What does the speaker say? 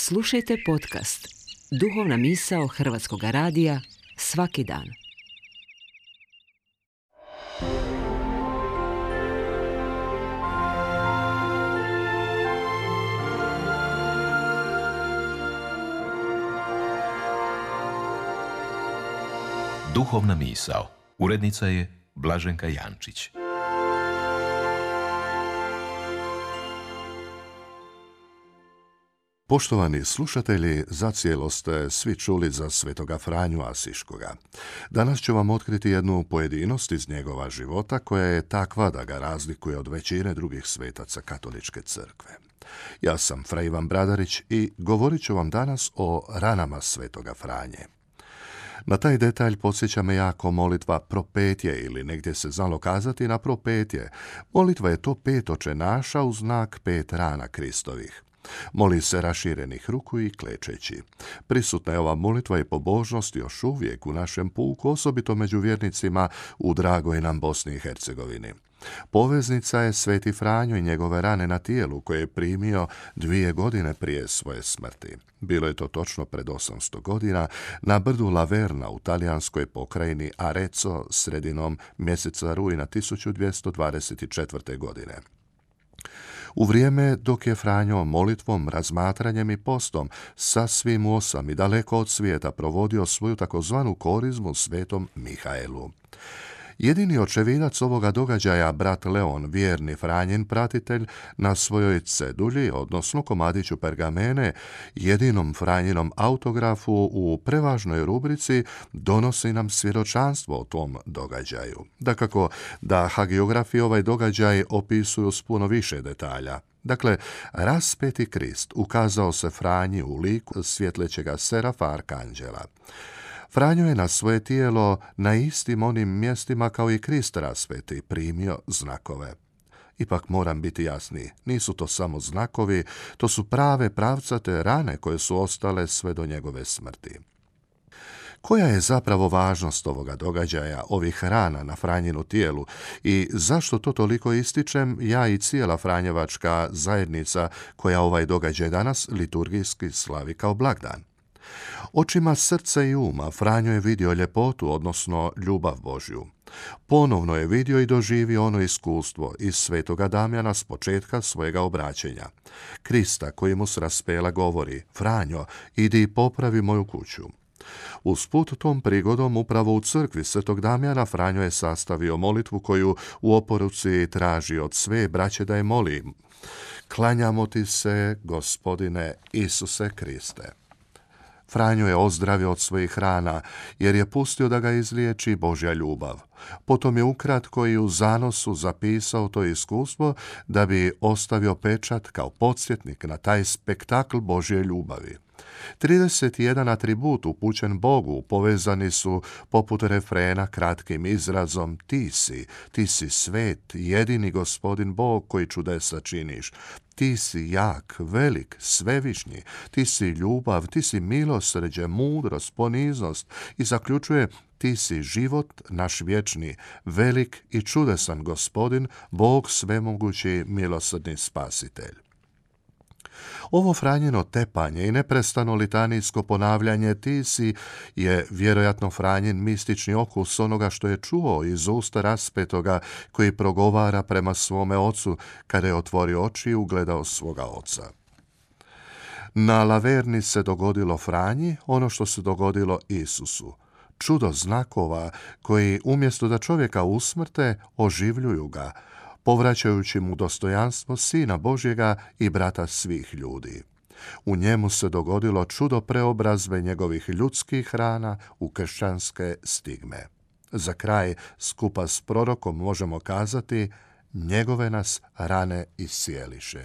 Slušajte podcast Duhovna misao Hrvatskog radija svaki dan. Duhovna misao. Urednica je Blaženka Jančić. Poštovani slušatelji, zacijelo ste svi čuli za svetoga Franju Asiškoga. Danas ću vam otkriti jednu pojedinost iz njegova života koja je takva da ga razlikuje od većine drugih svetaca katoličke crkve. Ja sam Fra Ivan Bradarić i govorit ću vam danas o ranama svetoga Franje. Na taj detalj podsjeća me jako molitva propetje ili negdje se znalo kazati na propetje. Molitva je to 5 očenaša u znak 5 rana Kristovih. Moli se raširenih ruku i klečeći. Prisutna je ova molitva i pobožnost još uvijek u našem puku, osobito među vjernicima u dragoj nam Bosni i Hercegovini. Poveznica je sveti Franjo i njegove rane na tijelu koje je primio 2 godine prije svoje smrti. Bilo je to točno pred 800 godina na brdu Laverna u talijanskoj pokrajini Arezzo sredinom mjeseca rujna 1224. godine. U vrijeme dok je Franjo molitvom, razmatranjem i postom sasvim u osam i daleko od svijeta provodio svoju takozvanu korizmu svetom Mihaelu. Jedini očevidac ovoga događaja, brat Leon, vjerni Franjin pratitelj, na svojoj cedulji, odnosno komadiću pergamene, jedinom Franjinom autografu u prevažnoj rubrici donosi nam svjedočanstvo o tom događaju. Dakako da hagiografi ovaj događaj opisuju s puno više detalja. Dakle, raspeti Krist ukazao se Franji u liku svjetlećega serafa arkanđela. Franjo je na svoje tijelo na istim onim mjestima kao i Krist raspeti primio znakove. Ipak moram biti jasniji, nisu to samo znakovi, to su prave pravcate rane koje su ostale sve do njegove smrti. Koja je zapravo važnost ovoga događaja, ovih rana na Franjinu tijelu i zašto to toliko ističem ja i cijela Franjevačka zajednica koja ovaj događaj danas liturgijski slavi kao blagdan? Očima srca i uma Franjo je vidio ljepotu, odnosno ljubav Božju. Ponovno je vidio i doživio ono iskustvo iz svetoga Damjana s početka svojega obraćenja. Krista koji mu s raspela govori: Franjo, idi i popravi moju kuću. Usput tom prigodom upravo u crkvi svetog Damjana Franjo je sastavio molitvu koju u oporuci traži od sve braće da je moli: Klanjamo ti se, Gospodine Isuse Kriste. Franjo je ozdravio od svojih rana, jer je pustio da ga izliječi Božja ljubav. Potom je ukratko i u zanosu zapisao to iskustvo da bi ostavio pečat kao podsjetnik na taj spektakl Božje ljubavi. 31 atribut upućen Bogu povezani su poput refrena kratkim izrazom ti si svet, jedini Gospodin Bog koji čudesa činiš. Ti si jak, velik, svevišnji, ti si ljubav, ti si milosrđe, mudrost, poniznost i zaključuje: ti si život naš vječni, velik i čudesan Gospodin, Bog svemogući, milosrdni spasitelj. Ovo Franjino tepanje i neprestano litanijsko ponavljanje ti si je vjerojatno Franjin mistični okus onoga što je čuo iz usta raspetoga koji progovara prema svome ocu kada je otvorio oči i ugledao svoga oca. Na Laverni se dogodilo Franji ono što se dogodilo Isusu. Čudo znakova koji umjesto da čovjeka usmrte, oživljuju ga, povraćajući mu dostojanstvo Sina Božjega i brata svih ljudi. U njemu se dogodilo čudo preobrazbe njegovih ljudskih rana u kršćanske stigme. Za kraj, skupa s prorokom možemo kazati: njegove nas rane iscijeliše.